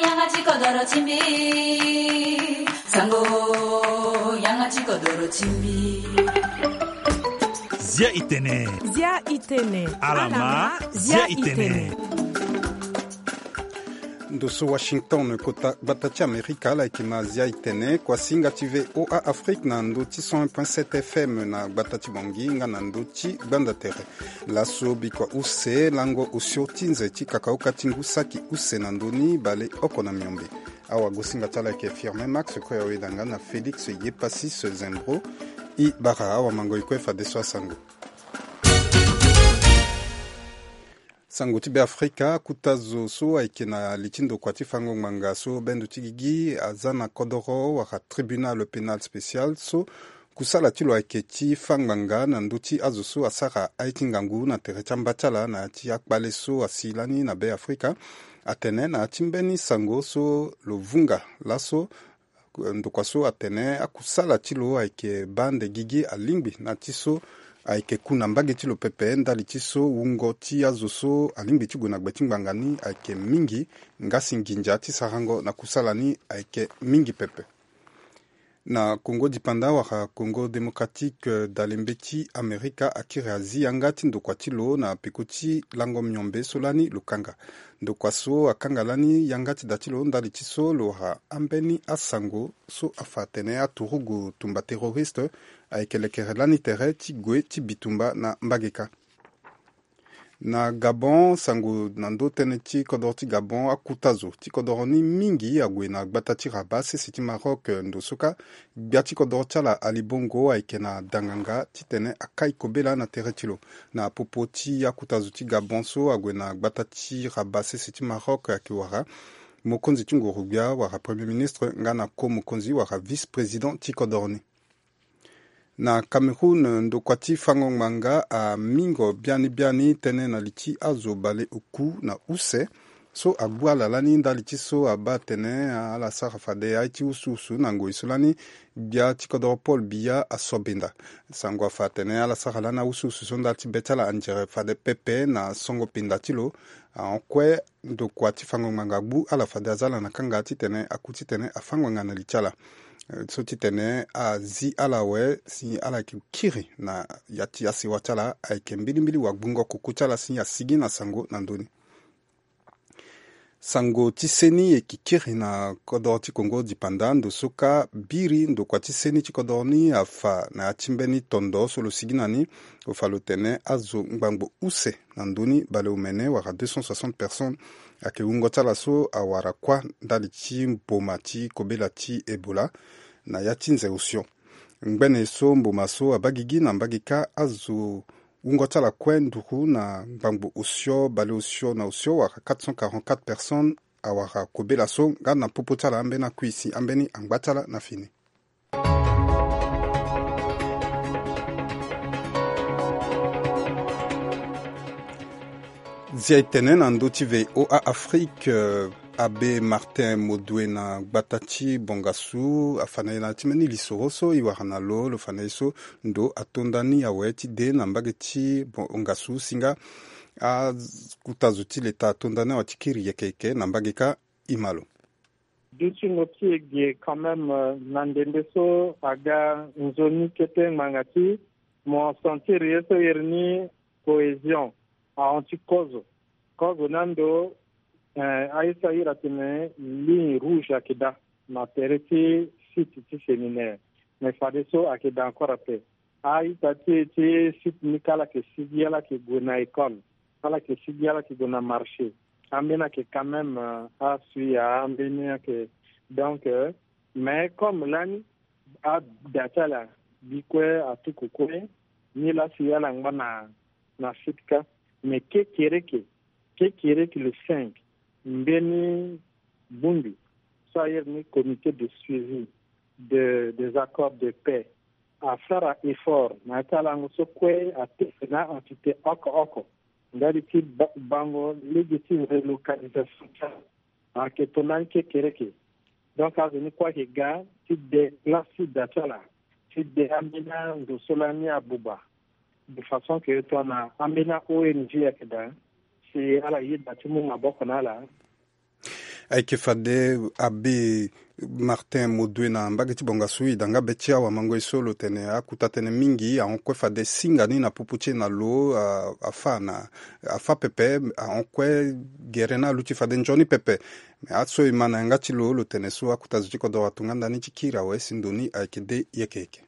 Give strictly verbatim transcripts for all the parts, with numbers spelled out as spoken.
Yanga ti kodoro ti mbi. Sango, yanga ti kodoro ti mbi. Zia itene. Zia itene. Alama, zia itene. Ndo so Washington, kota gbata ti Amerika, ala yeke na Zia itene, kuasinga ti V O A Afrique na ndo ti cent un point sept F M na gbata ti Bangui nga na ndo ti gbanda tere. Laso bikua use lango osio ti nze ti kakaoka ti ngu saki use na ndo ni baleoko na miombe. Awagosinga ti ala ayeke Firmin Max, kue aweda nga na Félix Yepasis Zembro. E bara awamango e kue fadeso asango. Sango ti Beafrika, akuta zo so ayeke na li ti ndokua ti fango ngbanga so bendo ti gigi aza na kodoro wala tribunal pénal spécial so kusala ti lo ayeke ti fâ ngbanga na ndö ti azo so asara aye ti ngangu na tere ti amba ti ala na ya ti akpale so asi lani na Beafrika. Atene na ya ti mbeni sango so lo vunga laso, ndokua so atene akusala ti lo ayeke baa nde gigi alingbi na ti so ayeke ku na mbage ti lo pepe ndali ti so wungo ti azo so alingbi ti gue na gbe ti ngbanga ni ayeke mingi, ngasi nginza ti sarango na kusala ni ayeke mingi pepe. Na Congo Dipanda wala Congo Démocratique, eh, dalembe ti Amerika akiri azi yanga ti ndokua ti lo na peko ti lango miombe so lani lo kanga. Ndokua so akanga lani yanga ti da ti lo ndali ti so lo wara ambeni asango so afa atene aturugu tumba terroriste ayeke lekere lani tere ti gue ti bitumba na mbage kâ. Na Gabon, sango na ndö tënë ti kodoro ti Gabon, akuta zo ti kodoro ni mingi ague na gbata ti Rabat sese ti Maroc, eh, ndo so kâ gbia ti kodoro ti ala Ali Bongo ayeke na danganga titene akai kobela na tere ti lo. Na popo ti akuta zo ti Gabon so ague na gbata ti Rabat sese ti Maroc ayeke wara mokonzi ti nguru-gbia wala premier ministre nga na ko mokonzi wala vice-président ti kodoro ni. Na Cameroun, ndokua ti fango ngbanga amingo biani biani tënë na li ti azo baleoku na use so agbu ala lani ndali ti so abaa atene ala sara fade aye ti usuusu na ngoi so lani gbia ti kodoro Paul Biya aso benda. Sango afa atene ala sara lani ausuusu so ndali ti be ti ala anzere fade pepe na songo pinda ti lo. Ahon kue ndokua ti fango ngbanga agbu ala fade aza ala na kanga titene aku titene afâ ngbanga na li ti ala. Eh, so titene azi ala awe si ala yeke kiri na ya ti asewa ti ala ayeke mbilimbili wagbungo kuku ti ala si asigi na sango na ndö ni. Sango ti seni e yeke kiri na kodoro ti Congo Dipanda, ndo so kâ biri ndokua ti seni ti kodoro ni afa na ya ti mbeni tondo so lo sigi na ni. Lo fa lo tene azo ngbangbo use na ndö ni baleomene wala deux cent soixante personnes ayeke wungo ti ala so awara kuâ ndali ti mboma ti kobela ti Ebola na ya ti nze osio. Ngbene so mboma so abaa gigi na mbage kâ azo wungo ti ala kue nduru na ngbangbo osio baleosio na osio wala quatre cent quarante-quatre personnes awara kobela so nga na popo ti ala ambeni akui si ambeni angba ti ala na fini. Zia e tene na ndö ti V O A Afrique, eh, Abbé Martin Modoué na gbata ti Bongassou afa na e na ya ti mbeni lisoro so e wara na lo, lo fa na e so ndo atonda ni awe ti de na mbage ti Bongassou si nga akuta zo ti leta atonda ni awe ti kiri yeke yeke na mbage kâ. E ma lo. Dutingo ti e ge quand même, euh, na ndembe so aga nzoni kete ngbanga ti mo sentir ye so iri ni cohésion ahon ti kozo. Kozo ni ando, eh, aye so a iri atene ligne rouge ayeke daa na tere ti site ti séminaire. Mais fadeso ayeke daa encore ape. A-ita ti e ti site ni kâ ala yeke sigi, ala yeke gue na école, ala yeke sigi, ala yeke gue na marché. Ambeni ayeke quand même, euh, asui ya, ambeni ayeke. Donc, euh, mais comme lani ada ti ala bi kue atuku kue, nilaa si ala ngba na, na site kâ. Mais kekereke, kekereke le cinq, mbeni bongbi so a iri ni comité de suivi de, des accords de paix asara effort na ya ti alango so kue atene na entité oko oko ndali ti ba-, bango lege ti relocalisation ti ala. Ayeke tongana ni kekereke. Donc azo ni kue ayeke ga ti de place ti da ti ala, ti de ambeni ando so lani abuba, de façon que tongana ambeni a-O N G ayeke daa, si ala yeda ti mu maboko na ala. Ayeke fade abe Martin Modue na mbage ti bongasu, e da nga be ti awamango ye so lo tene akuta tënë mingi ahon kue fade singa ni na popo ti e na lo, a, afa na, afa pepe, ahon kue gere ni aluti fade nzoni pepe. Me aso e ma na yanga ti lo, lo tene so akuta zo ti kodoro ato nga ndani ti kiri awe si ndo ni ayeke de yeke yeke.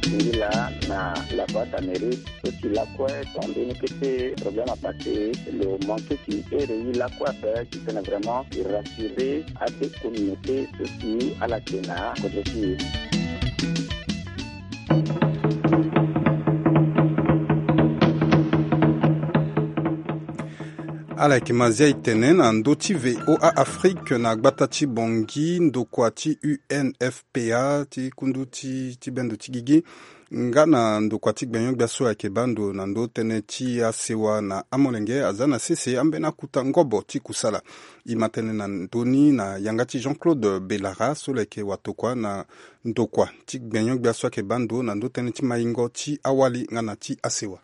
Ngi laa na la boîte à mairie, so ti lakue tongana mbeni kete problème apassé, lo manqué ti here ye lakue ape ti tene vraiment e rassurer abe communauté so ti ala tene na kodro ti e. Ala yeke ma zia e tene na ndö ti V O A Afrique na gbata ti Bangui, ndokua ti U N F P A ti kundu ti, ti bendo ti gigi nga na ndokua ti gbenyo-gbia so ayeke baa ndo na ndö tënë ti asewa na amolenge aza na sese ambeni akuta ngobo ti kusala. E ma tënë na ndö ni na yanga ti Jean-Claude Belara so lo yeke watokua na ndokua ti gbenyo-gbia so ayeke baa ndo na ndö tënë ti maingo ti awali nga na ti asewa.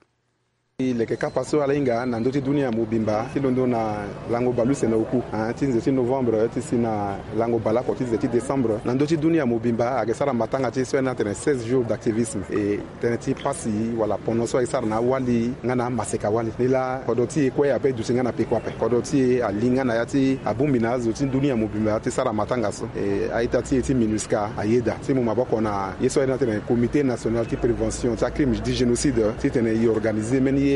E leke kapa so ala hinga na ndö ti dunia mobimba ti londo na lango bale use na oku, ah, ti nze ti novembre ti si na lango bale oko ti nze ti décembre na ndö ti dunia mobimba ayeke sara matanga ti so ayeke na tene seize jours d'activisme. E tënë ti pasi wala pono so ayeke sara na awali nga na amaseka wali. Ni laa kodro ti e kue ape duti nga na peko ape. Kodro ti e ali nga na ya ti abongbi na azo ti dunia mobimba ti sara matanga so. E a-ita ti e ti MINUSCA ayeda ti mu maboko na ye so ayeke na tene Comité National ti Prévention ti acrime ti génocide titene e organiser mbeni ye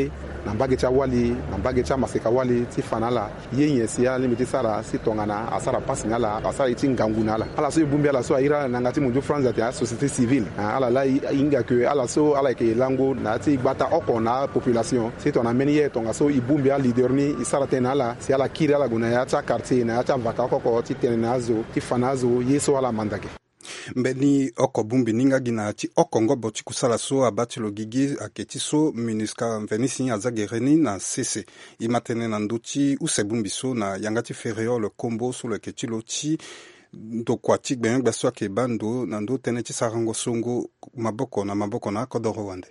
na mbage ti awali, na mbage ti amaseka wali ti fa na ala ye nyen si alingbi ti sara si tongana asara pasi na ala, asara ye ti ngangu na ala. Ala so e bongbi ala so ahiri ala na yanga ti mundu France atene asociété civile. Ah, ala laa e hinga ke ala so ala yeke lango na ya ti gbata oko na apopulation. Si tongana mbeni ye tongaso e bongbi aleader ni, e sara tënë na ala si ala kiri ala gue na ya ti aquartier, na ya ti avaka oko oko ti tene na azo, ti fa na azo ye so ala manda ge. Mbeni oko bongbi ni nga gi na ya ti oko ngobo ti kusala so abaa ti lo gigi ayeke ti so MINUSCA mveni si aza gere ni na sese. E ma tënë na ndö ti use bongbi so na yanga ti Ferréol Kombo so lo yeke ti lo ti ndokua ti gbenyo-gbia so ayeke baa ndo na ndö tënë ti sarango songo maboko na maboko na akodoro wande.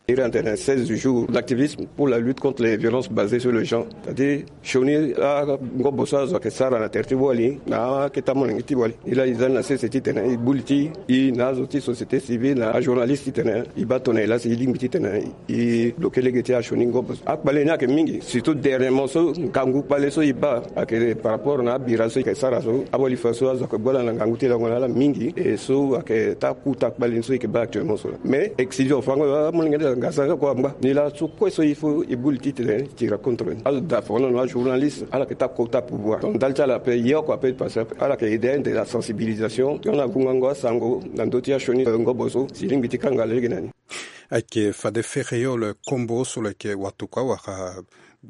Iri atene seize jours d'activisme pour la lutte contre les violences basées sur le genre. C'est-à-dire sioni angobo so azo ayeke sara na tere ti wali na akete amolenge ti wali. E laa e za ni na sese titene e gbu li ti e na azo ti société civile na ajournaliste titene e baa tongana e laa si e lingbi titene e bloke lege ti asioni ngobo so. Akpale ni ayeke mingi, surtout dernièrement so ngangu kpale so e baa ayeke par rapport na abira so e yeke sara so, awali fa so azo ayeke gbu ala na ngangu ti lango na ala mingi. E so ayeke taa kota kpale ni so e yeke baa actuellement so laa. Mais excision fango amolenge ti ala ngasa nga kua angba. Ni laa so kue so il faut e gbu li titene e tira contre ni. Azo daa fango na ajournaliste ala yeke taa kota pouvoir. Donc ndali ti ala ape ye oko ape e passé ape. Ala yeke aide ande na sensibilisation tongana avungango asango na ndö ti asioni ngobo so si e lingbi ti kanga lege na ni. Ayeke fade Ferréol Kombo so lo yeke watokua wala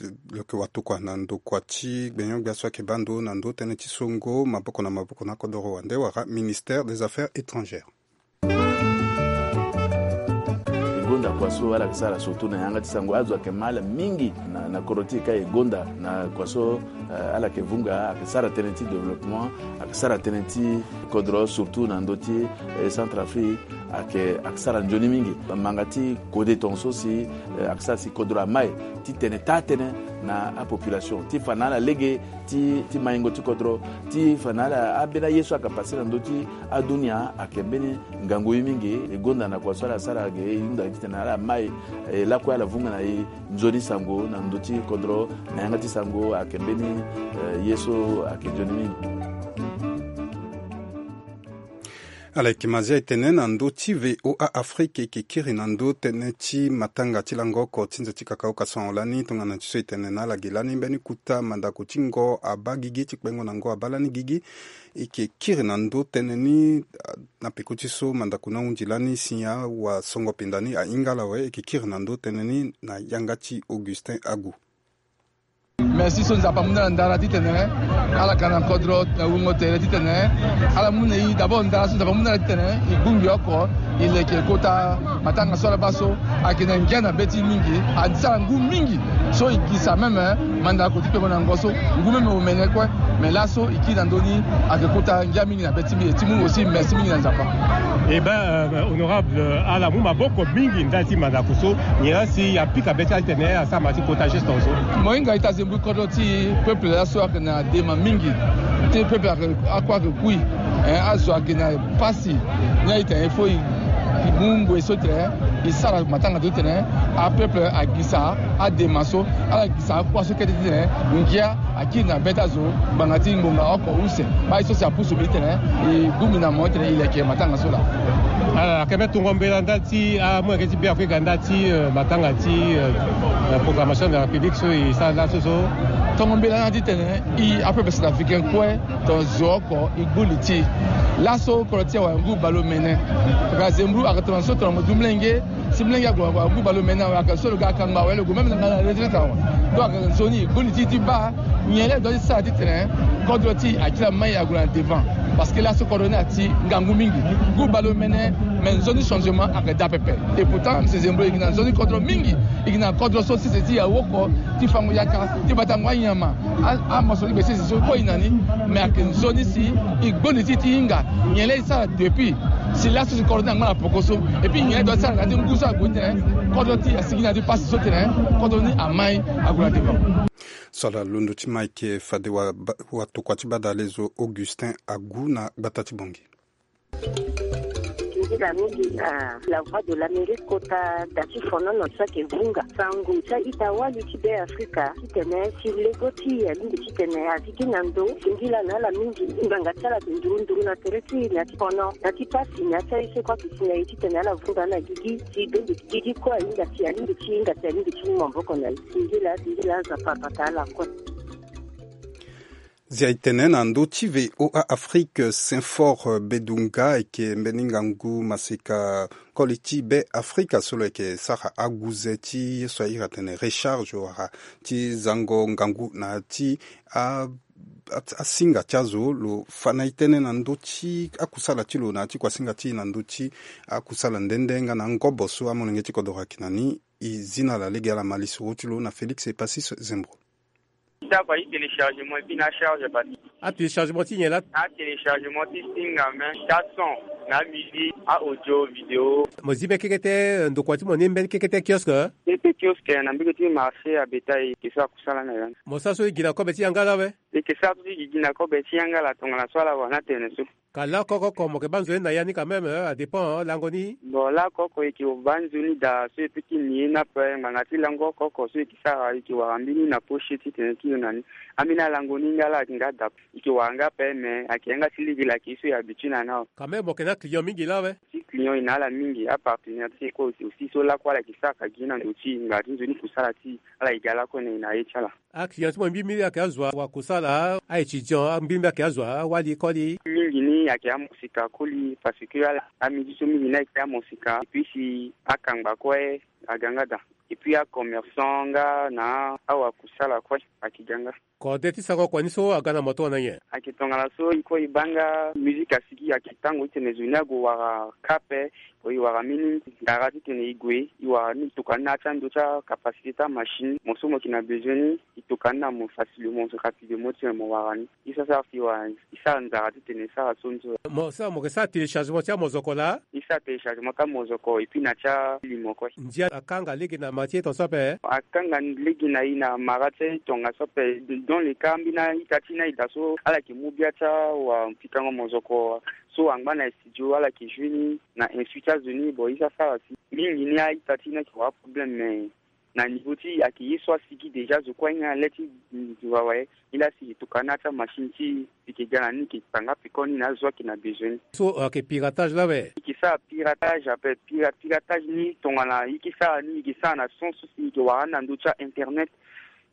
lo yeke watokua na ndokua ti gbenyo-gbia so ayeke baa ndo na ndö tënë ti songo maboko na maboko na kodoro wande wala ministère des Affaires étrangères. E gonda kua so ala yeke sara surtout na yanga ti sango, azo ayeke ma ala mingi na, na kodro ti e ka e gonda na kua so, eh, ala yeke vunga, ayeke sara tënë ti développement, ayeke sara tënë ti kodro surtout na ndö ti, eh, Centrafrique. Ayeke, ayeke sara nzoni mingi. Manga ti kode tongaso si, eh, ayeke sara si kodro amai titene taa tënë na apopulation ti fa na ala lege ti, ti maingo ti kodro, ti fa na ala ambeni aye so ayeke pase na ndö ti adunia ayeke mbeni ngangu ye mingi. E gonda na kua so ala sara ge e hunda titene ala mai, eh, lakue ala vunga na e nzoni sango na ndö ti kodro na yanga ti sango ayeke mbeni, eh, ye so ayeke nzoni mingi. Ala yeke ma zia e tene na ndö ti V O A Afrique e yeke kiri na ndö tënë ti matanga ti lango oko ti nze ti kakao kasango lani tongana ti so e tene na ala ge lani mbeni kota mandako ti ngo abaa gigi ti kpengo na ngo abaa lani gigi. E yeke kiri na ndö tënë ni, ah, na peko ti so mandako ni ahunzi lani si awasongo pinda ni ahinga ala awe. E yeke kiri na ndö tënë ni na yanga ti Augustin Agu. Merci so Nzapa amu na ala ndara titene ala ga na kodro na wungo tere titene ala mu na e d'abord ndara so Nzapa amu na ala titene e bongbi oko e leke kota matanga so ala baa so ayeke na ngia na be ti e mingi. Asara ngu mingi so e gisa meme mandako ti kpengo na ngo so ngu meme omene kue. Mais laso e kiri na ndö ni ayeke kota ngia mingi na be ti mbi. E ti mu aussi merci mingi na Nzapa. Eh ben, euh, honorable, euh, ala mu maboko mingi ndali ti mandako so. Nyen la si apika be ti ala titene asara ma ti kota geste so. Mo hinga ita zembu Kodro ti peuple laso ayeke na dema mingi. Ti peuple ayeke, akue ayeke kui. Eh, azo ayeke na pasi. Ni aye tene il faut e, e mu ngoi so tene e sara matanga ti tene apeuple agisa adema so, ala gisa akua so kete ti tene ngia akiri na be ti azo ngbanga ti ngonga oko use. Aye so si apusu mbi ti tene e gbu mbi na mo ti tene e leke matanga so laa. Ala ayeke mbi tongo mbela ndali ti amolenge ti Beafrika ndali ti, euh, matanga ti, euh, euh, proclamation de la République so e sara laso so. Tongo mbela na ti tene e apeuple centrafricain kue, tongana zo oko e gbu li ti e. Laso kodro ti e awara ngu baleomene. Aga zemburu aga tongana so tongana mo du molenge, si molenge ague ague agu baleomene awe, aga so lo ga akangba awe, lo gue même na nga na retraite awe. Donc aga nzoni e gbu li ti e ti baa nyen laa e doit ti sara ti tene kodro ti e akiri amai ague na devant. Parce que laso kodro ni ati ngangu mingi. Ngu baleomene, mais nzoni changement aga daa pepe. Et pourtant monsieur Zembro e gi na nzoni kodro mingi. E gi na kodro so sese ti e awoko, ti fango yaka, ti batango anyama. A, amoso ti gbese si so kue e na ni. Mais ayeke nzoni si e gbu li ti e ti hinga nyen laa e sara depuis. Si laso si kodro ni angba na poko so. Et puis nyen laa e doit ti sara na ya ti ngu so ague ni tene kodro ti e asigi na ya ti pasi so tene kodro ni amai ague na devant. So ala londo ti ma ayeke fade wa, watokua ti badalezo Augustin Agu na gbata ti Bongi. Nzila mingi na La Voix de l'Amérique kota da ti fonono so ayeke vunga sango ti a-ita wali ti Beafrika titene si lego ti e alingbi titene azi gi na ndo. Singila na ala mingi ngbanga ti ala ayeke nduru nduru na tere ti e na ya ti fono na ya ti pasi na ya ti aye so kue ayeke si na e titene ala vunga na gigi si bende gigi kue ahinga si alingbi ti hinga si alingbi ti mu maboko na e. Singila singila Nzapa abata ala kue. Zia e tene na ndö ti V O A Afrique, Saint-Fort Bedunga ayeke mbeni ngangu maseka koli ti Beafrika so lo yeke sara aguze ti ye so a iri atene recharge wala ti zango ngangu na ya ti a, a, asinga ti azo. Lo fa na e tënë na ndö ti akusala ti lo na ya ti kuasinga ti e na ndö ti akusala nde nde nga na angobo so amolenge ti kodoro ayeke na ni. E zi na ala lege ala ma lisoro ti lo na Félix Epasis Zembro. Ndako aye téléchargement et puis na charge batterie. Atéléchargement ti nyen laa? Atéléchargement ti singa même, ti ason, na musique, a audio, vidéo. Mo zi mbeni kekete ndokua ti mo ni mbeni kekete kiosque? Kekete kiosque na mbege ti marché à bétail, ke so akusala na ya. Mo sara so e gi na kobe ti yanga laa awe? E ke sara so ti gi gi na kobe ti yanga laa tongana so ala wara ni atene so. Ka lakoko oko mo yeke baa nzoni na ya ni quand même, euh, adépend, euh, lango ni. Bon, lakoko e ke baa nzoni daa so e peut ti ni ye ni ape, ngbanga ti lango oko oko so e ke sara e ke wara mbeni na poche titene ti lo na ni. Ambeni alango ni nga laa ayeke nga daa. E ke wara nga ape mais ayeke yanga ti lege laa ayeke ye so e habitue na ni awe. Quand même mo yeke na aclient mingi laa awe? Ti client e na ala mingi, apartenaire ti e kue aussi so lakue ala yeke sara ka gi na ndo ti e, ngbanga ti nzoni kusala ti e, ala yeke ga lakue na e na ye ti ala. Aclient ti mo mbi mbi ayeke azo wa kusala, a-étudiant mbi mbi ayeke azo awali koli? Mingi ni ayeke amosika koli parce que ala, amidi so mingi ni ayeke amosika, et puis si akangba kue aga nga daa. Et puis acommerçant nga na awakusala kue ayeke ga nga. Kode ti sango kua ni so aga na mo tongana nyen? Ayeke tongana so e kue e baa nga musique asigi ayeke tango titene zo ni ague wara ka ape. Bon, e wara mbeni ndara titene e gue, e wara ni e toka ni na ya ti ando ti acapacité ti amachine. Mo so mo yeke na besoin ni, e toka ni na mo facilement, rapidement titene mo wara ni. E sara sara si e wara, e sara nzara titene e sara so ni so. Mo sara, mo yeke sara téléchargement ti amozoko laa? E sara téléchargement ti amozoko et puis na ya ti alimo kue. Ndia akanga lege na mara ti e tongaso ape? Akanga lege na e na mara ti e tongaso ape. Dans le cas ambeni a-ita ti ni aye daa so ala yeke mu bia ti awapikango mozoko so angba na studio ala yeke joue ni na insu ti azo ni. Bon, e sara sara si mingi ni a-ita ti ni ayeke wara problème mais na niveau ti e ayeke ye so asigi déjà zo kue ahinga le ti zo awe. E laa si e toka ni na ya ti amachine ti e, e yeke ga na ni e yeke kpanga peko ni na azo ayeke na besoin ni. So ayeke piratage laa awe? E yeke sara piratage ape. Pira, piratage ni tongana e yeke sara ni, e yeke sara na sens so si e yeke wara ni na ndö ti a-internet.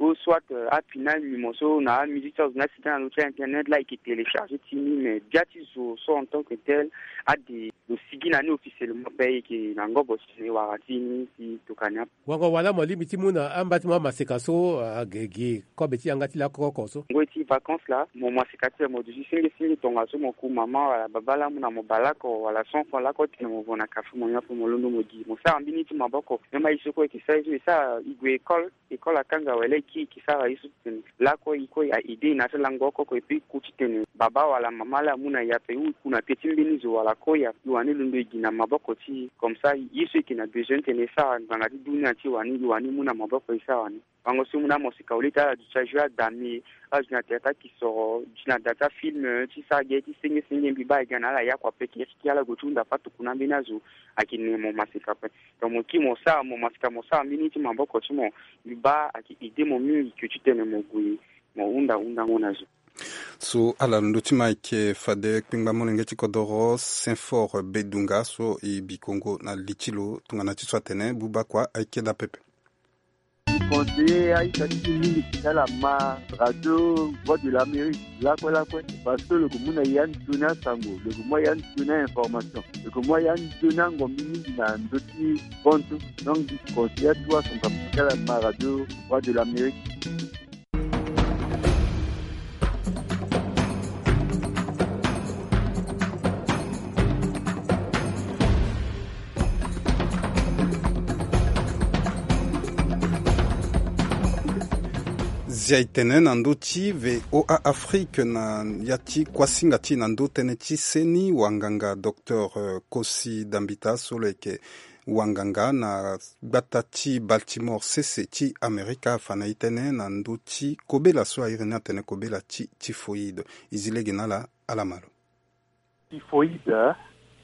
Ou soit, euh, apina alimo so na amusique ti azo ni asigi na ndö ti a-internet laa e yeke télécharger ti ni, mais bia ti zo so en tant que tel ade lo sigi na ni officiellement ape, e yeke na ngobo titene e wara ti ni si e toka ni ape. Wango wala mo lingbi ti mu na amba ti mo amaseka so, ah, gi, gi kobe ti yanga ti lakoko oko so? Ngoi ti vacances laa mo maseka ti mo duti senge senge tongaso mo ku mama wala baba laa amu na mo bale oko wala cent francs lakue titene mo vo na café mo nyon ape mo londo mo gi. Mo sara mbeni ti maboko. Même aye so kue e yeke sara ye so e sara e gue école. École akanga awe laa e kiri e ke sara ye so titene lakue e kue a aider e na ya ti lango oko oko et puis e ku titene baba wala mama laa amu na e ape ou e ku na pie ti mbeni zo wala koya e wani londo e gi na maboko ti e. Comme ça ye so e yeke na besoin titene e sara ngbanga ti dunia ti e wani, e wani mu na maboko e sara wani. Bango so mu na mo sika wali ti ala duti ajoue adami, ala duti na théâtre akisoro, duti na da ti afilm, ti sara ge ti senge senge mbi baa ega na ala yakua pekiri ti ala gue ti hunda fâ tuku na ambeni azo. Ayeke ne mo masika ape. Donc mo kiri mo sara mo masika mo sara mbeni ti maboko ti mo. Mbi baa ayeke aidé mo mingi ke ti tene mo gue mo hunda hundango na zo. So ala londo ti ma ayeke fade kpengba molenge ti kodoro Saint Fort Bedunga so e bi kongo na li ti lo tongana ti so atene buba kua ayeke daa pepe. Conseiller aita ti e mingi ti tala ma radio Voix de l'Amérique lakue lakue, parce que lo yeke mu na e anzoni asango, lo yeke mu a e anzoni a information, lo yeke mu a e anzoni angombi mingi na ndö ti bantu. Donc mbi conseiller atuwa asango ti tala ma radio Voix de l'Amérique. Zia e tene na ndö ti V O A Afrique na ya ti kuasinga ti e na ndö tënë ti seni wanganga docteur, euh, Kosi Dambita so lo yeke wanganga na gbata ti Baltimore sese ti Amerika afa na e tënë na ndö ti kobela so a iri ni atene kobela ti typhoïde. E zi lege na ala, ala ma lo. Typhoïde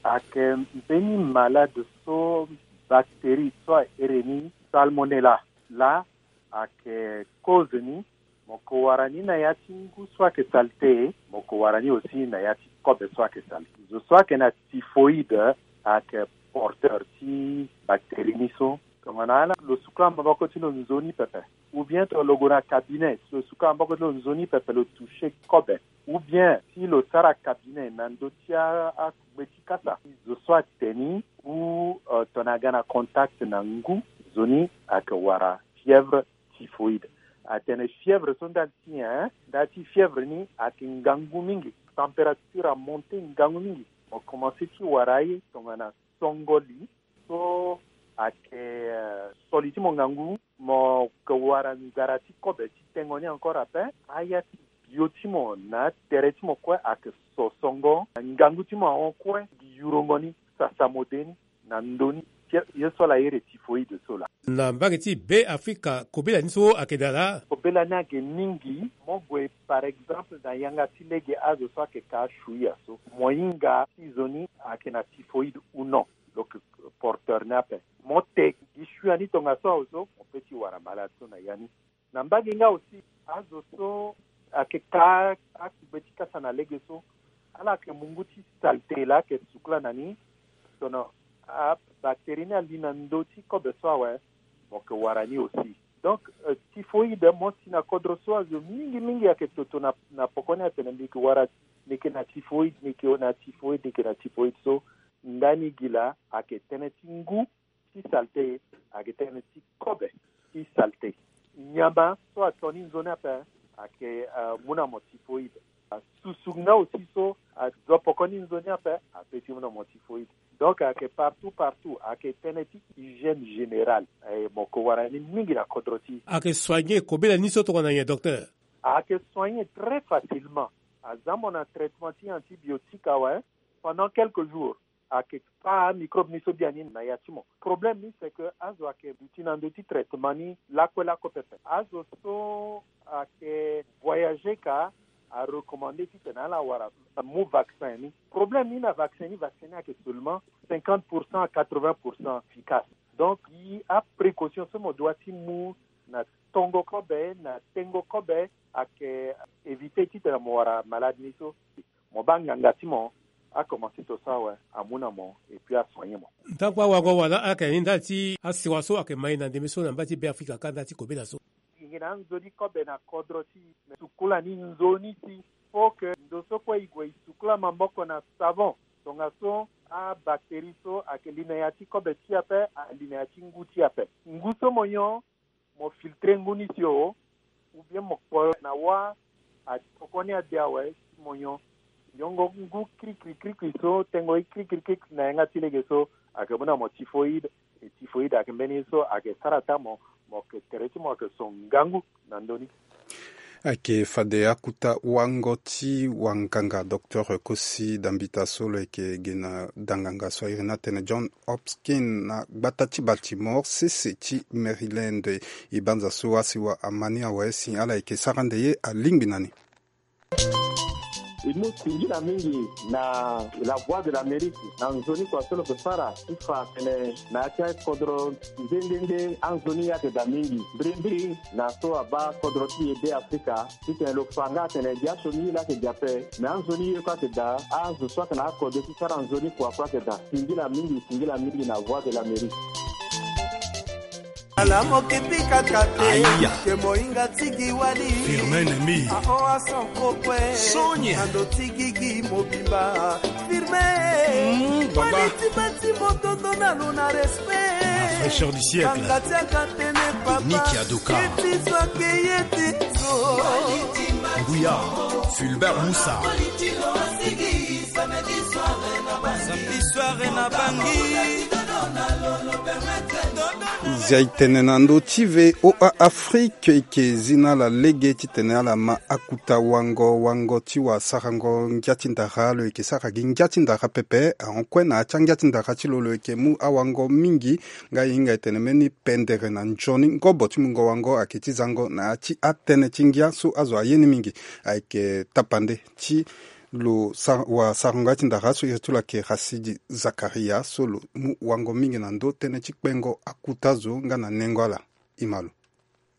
ayeke mbeni malade so bactérie so a iri ni salmonella laa ayeke cause ni. Mo yeke wara ni na ya ti ngu so ayeke saleté, mo yeke wara ni aussi na ya ti kobe so ayeke saleté. Zo so ayeke na typhoïde ayeke porteur ti bactérie ni so. Tongana ala lo sukula maboko ti lo nzoni pepe, ou bien tongana lo gue na cabinet, si lo sukula maboko ti lo nzoni pepe lo toucher kobe, ou bien si lo sara cabinet na ndö ti a, akugbe ti kasa, zo so ate ni ou, euh, tongana aga na contact na ngu, nzoni ayeke wara fièvre typhoïde. Atene fièvre so nda ti nyen? Nda ti fièvre ni ayeke ngangu mingi, température amonte ngangu mingi. Mo commencé ti wara ye tongana songo li so ayeke, euh, so li ti mo ngangu, mo yeke wara nzara ti kobe ti tengo ni encore ape. Aya ti bio ti mo na atere ti mo kue ayeke so songo, ngangu ti mo ahon kue, gi yurongo ni, sasa mo de ni na ndö ni. Ye so laa iri typhoïde so laa. Na mbage ti Beafrika kobela ni so ayeke daa laa? Kobela ni ayeke mingi. Mo gue par exemple na yanga ti lege azo so ayeke ka ashuia so, mo hinga ti zo ni ayeke na typhoïde ou non, lo yeke porteur ni ape. Mo te gi shuia ni tongaso awe so, mo pe ti wara malade so na ya ni. Na mbage nga aussi, azo so ayeke ka akugbe ti kasa na lege so, ala yeke mu ngu ti saleté laa ayeke sukula na ni. Tongana abactérie ni ali na ndö ti kobe so awe, mo yeke wara ni aussi. Donc, euh, typhoïde mo si na kodro so azo mingi mingi ayeke toto na, na poko ni atene mbi yeke wara, mbi yeke na typhoïde, mbi yeke na typhoïde, mbi yeke na typhoïde so. Ndani gi laa ayeke tënë ti ngu ti saleté, ayeke tënë ti kobe ti saleté. Nyama so ato ni nzoni ape ayeke, euh, mu na mo typhoïde. Susu nga aussi so azo poko ni nzoni ape ape ti mu na mo typhoïde. Donc ayeke partout, partout, ayeke tënë ti hygiène générale. E, mo yeke wara ni mingi na kodro ti. Ayeke soigner kobela ni so tongana nyen, docteur? Ayeke soigner très facilement. Aza mo na traitement ti antibiotique awe, pendant quelques jours. Ayeke pâ microbe ni so biani na ya ti mo. Problème ni c'est que azo ayeke duti na ndö ti traitement ni lakue lakue pepe. Azo so ayeke voyager ka arecommandé titene ala wara, amu vaccin ni. Problème ni na vaccin ni, vaccin ni ayeke seulement cinquante pour cent à quatre-vingts pour cent efficace. Donc gi aprécaution so mo doit ti mu na tongo kobe na tengo kobe ayeke éviter titene mo wara malade ni so. Mo baa nganga ti mo akomanse to so awe, amu na mo et puis asoigner mo. Ntangu awago wala ayeke ni ndali ti asiwa so ayeke ma e na ndembe so na mba ti Beafrika kâ ndali ti kobela so. Gi na anzoni kobe na kodro ti e, me sukula ni nzoni si. Faut que ndo so kue e gue e sukula maboko na savon. Tongaso abactérie so ayeke li na ya ti kobe ti e ape, ali na ya ti ngu ti e ape. Ngu so mo nyon, mo filtrer ngu ni si o, ou bien mo kpo na wâ, atokoni ade awe si mo nyon. Nyongo ngu krikri krikri so, tengo ye krikri krikri na yanga ti lege so, ayeke mu na mo typhoïde. E typhoïde ayeke mbeni ye so ayeke sara ata mo, mo yeke tere ti mo ayeke so ngangu na ndö ni. Ayeke fade akuta wango ti wanganga docteur Kosi Dambita so lo yeke gi na danganga so a iri ni atene John Hopkins na gbata ti Baltimore, sese ti Maryland. E banza so asiwa ama ni awe si ala yeke sara nde ye alingbi na ni. E mu singila mingi na La Voix de l'Amérique na nzoni kua so lo yeke sara ti fa atene na ya ti akodro nde nde nde anzoni ye ayeke daa mingi mbirimbiri na so abaa kodro ti e Be Afrika. Titene lo fa nga atene gi asioni ye laa ayeke gi ape, me anzoni ye kue ayeke daa, azo so ayeke na akodro ti sara nzoni kua kue ayeke daa. Singila mingi, singila mingi na Voix de l'Amérique. Ala mo kepi kaka te. Aya. Ke mohinga ti gi wali. Firme ennemi. Ahoa son kokue. Sonia. Ando ti gigi mobimba. Firme. Mm, baba. Wali ti bâtiment tondo na lo na respect. La fraîcheur du siècle. Kanga ti akatene papa. Nicky Adoka. Ye ti so ake ye ti so. Nguya, Fulbert Moussa. Samedi soir na Bangui. Nzia e tene na ndö ti V O A Afrique, e yeke zi na ala lege titene ala ma akuta wango, wango ti wasarango ngia ti ndara. Lo yeke sara gi ngia ti ndara pepe, ahon kue na ya ti angia ti ndara ti lo, lo yeke mu awango mingi. Nga e hinga e tene mbeni pendere na nzoni ngobo ti mungo wango ayeke ti zango na ya ti atënë ti ngia so azo aye ni mingi. Ayeke tapande ti lo sa-, wasarango ya ti ndara so iri ti lo ayeke Rasidi Zakaria so lo mu wango mingi na ndö tënë ti kpengo akuta zo nga na nengo ala. E ma lo.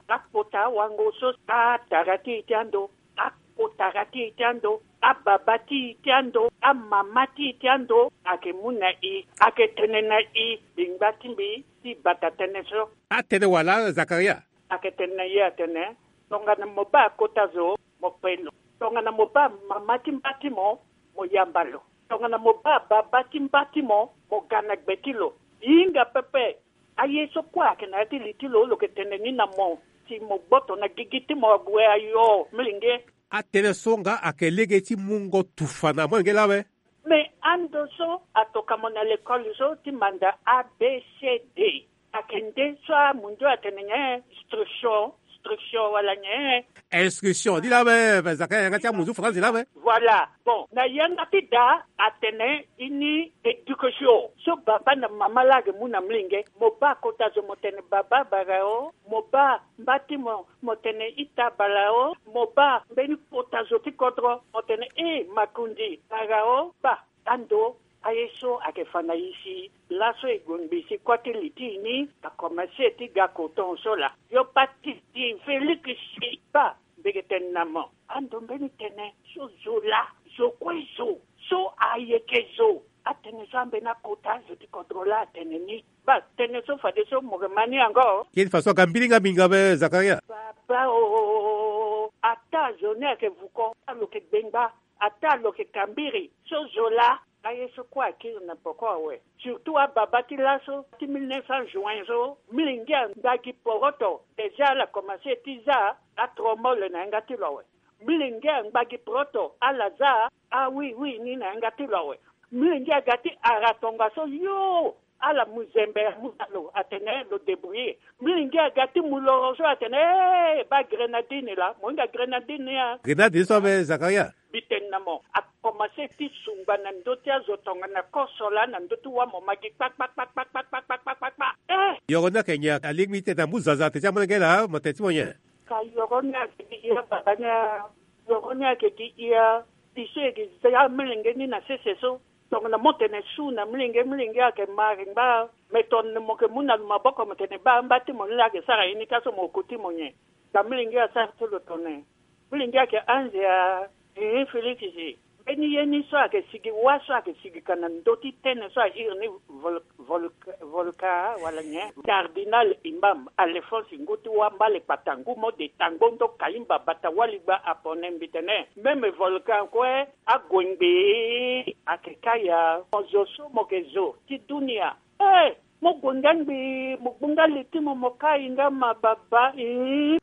Akota awango so, atara ti e ti ando, akotara ti e ti ando, ababa ti e ti ando, amama ti e ti ando, ayeke mu na e, ayeke tene na e, bingba ti mbi ti bata tënë so. Atene wala Zakaria? Ayeke tene na e atene, tongana mo baa akota zo, mo kpe lo. Tongana mo baa mama ti mba ti mo, mo yamba lo. Tongana mo baa baba ti mba ti mo, mo ga na gbe ti lo. E hinga pepe. Aye so kue ayeke na ya ti li ti lo, lo yeke tene ni na mo, si mo gboto na gigi ti mo ague ayo, molenge. Atënë so nga ayeke lege ti mungo tufa na molenge laa awe. Me ando so atoka mo na lekole so ti manda A B C D. Ayeke nde so amundu atene nyen? Instruction, instruction wala nyen? Instruction, ni laa awe, Zakaria, yanga ti amundu faranzi laa awe. Voilà. Bon, na yanga ti da atene ini éducation. So baba na mama laa ayeke mu na molenge, mo baa kota zo mo tene baba bara o, mo baa mba ti mo, mo tene ita bara o, mo baa mbeni kota zo ti kodro, mo tene e makundi bara o, baa. Ando aye so ayeke fa na e si laso e gue ngbii si kua ti li ti e ni akomanse ti ga koton so laa. Yo pati ti Félix si baa mbege tene na mo. Ando mbeni tene so zo laa, zo kue zo, so ayeke zo. Atene so ambeni akota zo ti kodro laa atene ni. Baa tene so fadeso mo yeke ma ni yango. Ye ti fa so aga mbiri nga mingi awe Zakaria. Baba o, ata zo ni ayeke vuko, alo yeke gbengba. Ata lo yeke kambiri so zo laa. Aye so kue akiri na poko awe. Surtout ababa ti laso ti mille neuf cents juin so, molenge angba gi poroto. Déjà ala komanse ti za atromole na yanga ti lo awe. Molenge angba gi poroto, ala za awiwi ni na yanga ti lo awe. Molenge aga ti ara tongaso yo. Ala mu zembe amu na lo atene lo débrouiller. Molenge aga ti mu loro so atene, eh, baa grenadine laa, mo hinga grenadine ni a. Grenadine so abe Zakaria. Mbi tene na mo, akomanse ti sungba na ndö ti azo tongana koso laa na ndö ti wâ mo ma gi kpa kpa kpa kpa kpa kpa kpa kpa kpa. Eh. Yoro ni ayeke nyen? Alingbi ti tene amu zaza atene ti amolenge laa, mo tene ti mo nyen? Ka yoro ni ayeke gi hia baba ni a. Yoro ni ayeke gi hia. Biso e gi za amolenge ni na sese so. Tongana mo tene su na molenge, molenge ayeke ma ringba. Me tongana mo yeke mu na lo maboko mo tene baa mba ti mo ni laa ayeke sara ye ni ka so mo ko ti mo nyen? Ka molenge asara ti lo tongana nyen? Molenge ayeke anze a. Ehe, Félix si. Mbeni ye ni so ayeke sigi wâ so ayeke sigi ka na ndö ti tënë so a iri ni vol-, vol-, volka wala nyen? Cardinal Imam Alphonse ngu ti wâ mbale kpata ngu mo de tango ndo kaimba bata waligba apone mbi tene. Même volcan kue ague ngbii. Ayeke kâ ya. Mo zo so mo yeke zo ti dunia. Eh, mo gue nga ngbii, mo gbu nga li ti mo, mo kai nga ma baba, ih.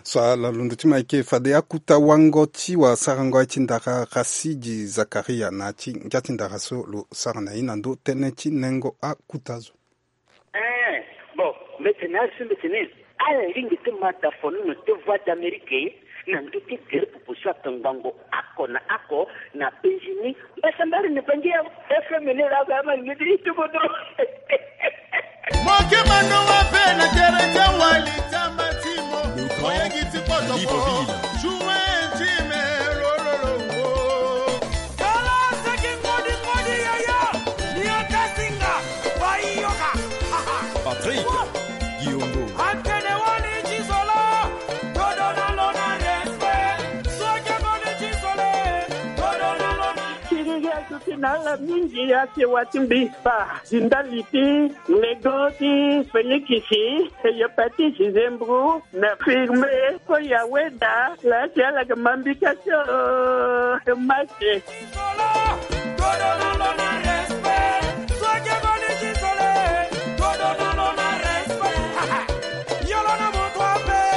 So ala londo ti mo ayeke fade akuta wango ti wasarango aye ti ndara Rasidi Zakaria na ya ti ngia ti ndara so lo sara na ye na ndö tënë ti nengo akuta zo. Eh, bon, mbi tene azo so mbi tene ala lingbi ti ma dafonono ti Voix d'Amérique. Na ndö ti gere pupu so ato ngbongo oko na oko na Benjini. Mbasambare na Bangi ya F M ni laa ba ama ni ti kodro. Moke mano wa pe na tere ti awali ti amatimo. Oyegi ti poto ko. Libreville. Joue ti me lololongo. Tala seki ngodi ngodi yaya. Ni ata singa. Bayoka. Patrick Guillaume. Atene wali ti solo. Todo na lo na respect. Soke ngodi ti solo. Todo na lo na. Siriri asuti na ala mingi, asewa ti mbi spa. Zindali ti lego ti Félix, e yo pati Zizembru na firme ko ya weda la ti ala ke mambika ti o mate.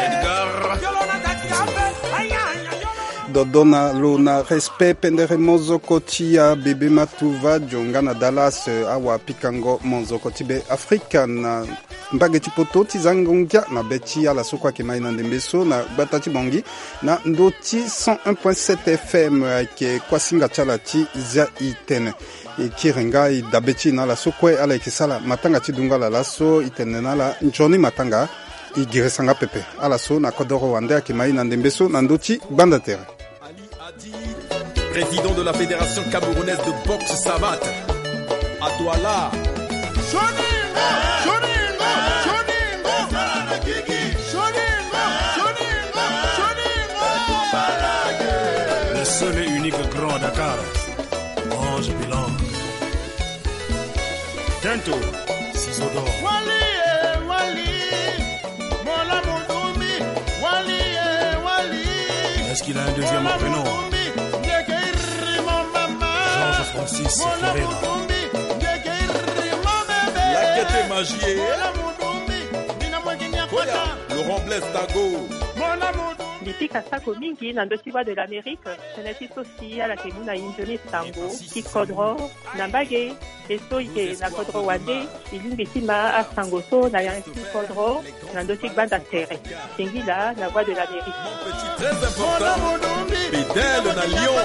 Edgar. Dodona lo na respect pendere mozoko ti ya bebe matuva jonga na Dallas, eh, awa pikango mozoko ti be Afrika na mbage ti poto ti zango ngia na be ti ala so kue ayeke ma e na ndembe so na gbata ti Bangui na ndö ti cent un point sept F M, ayeke kuasinga ti ala ti zia e tene. E kiri nga e dabe ti e na ala so kue ala yeke sara matanga ti dungo ala laso, e tene na ala nzoni matanga. E girisa nga pepe ala so na kodoro wande ayeke ma e na ndembe so na ndö ti gbanda tere. Ali Adi, président de la Fédération camerounaise de boxe savate, à Douala. Soningo, soningo, soningo. Soningo, soningo, soningo. Le seul et unique grand à Dakar. Ange Bilang. Tento, Ciseaux d'or. Wali, eh, Wali. Mola Mudumbi. Wali, eh, Wali. Est-ce qu'il a un deuxième prénom ? Mola Mudumbi. Ndeke iri mo mama. Georges Francis Mola Ferreira. Mudumbi. Ndeke iri mo bebe. Lakete Magie. Mola Mudumbi. Bina mwekini ya Koya, kota. Laurent Blaise Tago. Mola Mudumbi. Mbi pika sako mingi na ndö ti Voix de l'Amérique. Tënë ti so si ala yeke mu na e nzoni sango ti kodro na mbage. E so e yeke na kodro wande, e lingbi ti ma asango so na ya ti kodro na ndö ti gbanda tere. Singila na Voix de l'Amérique. Très important. Bedel na Lyon.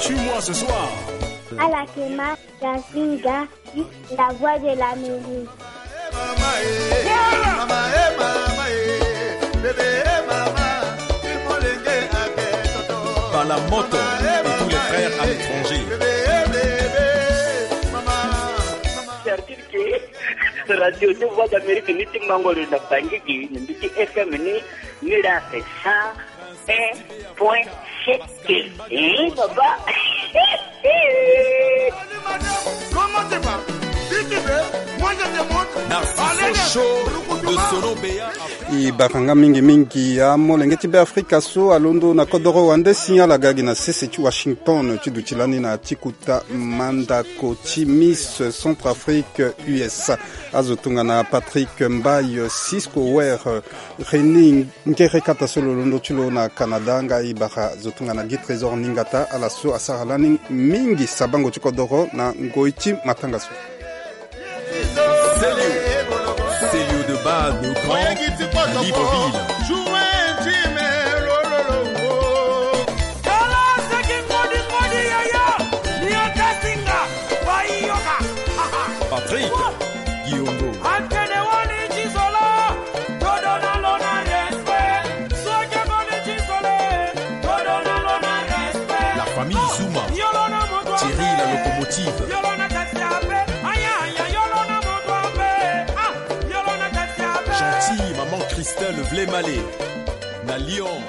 Tue-moi ce soir. Ala yeke ma Gazinga. La Voix de l'Amérique. Bala Moto et tous les frères à l'étranger. C'est-à-dire que Radio de Voix d'Amérique ni ti Mangoro na Bangui, ni ti F M ni, ni la c'est ça. Un point sept. Eh, papa. Narciso Show de Solo Béa. E bata nga mingi mingi amolenge ti Beafrika so alondo na kodoro wande si ala ga gi na sese ti Washington ti duti lani na ti kuta mandako ti Miss Centrafrique U S A. Azo tongana Patrick Mbaye, Cisco Ware, René Ngere kata so lo londo ti lo na Canada, nga e bara zo tongana Guy Trésor Ningata, ala so asara lani mingi sabango ti kodoro na ngoi ti matanga so. Célio, Célio de base de Grand Libreville. Patrick Guillaume. La famille Zuma, Thierry la locomotive. Gentil, maman Christelle Vlemale, na Lyon.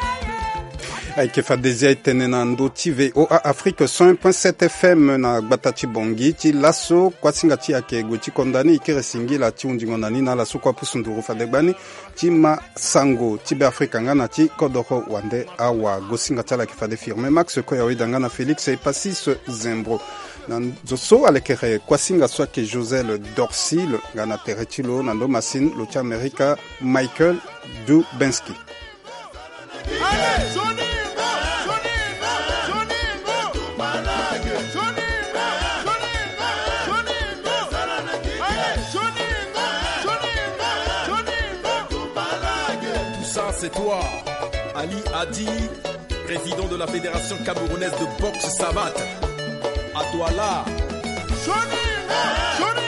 Ayeke fade zia e tene na ndö ti V O A Afrique cent un point sept F M na gbata ti Bangui. Ti laso kuasinga ti e ayeke gue ti konda ni, e kiri singila ti hundingo na ni na ala so kue apusu nduru fade gbani ti ma sango ti Beafrika nga na ti kodoro wande awa. Gosinga ti ala ayeke fade Firmin Max Koya Weda nga na Félix Epasis Zembro. Na zo so alekere kuasinga so ayeke Josel Dorsil nga na tere ti lo na ndo masini lo ti Amerika Michael Dubensky. Toi, Ali Adi, président de la Fédération camerounaise de boxe savate. À toi là. Johnny, Johnny,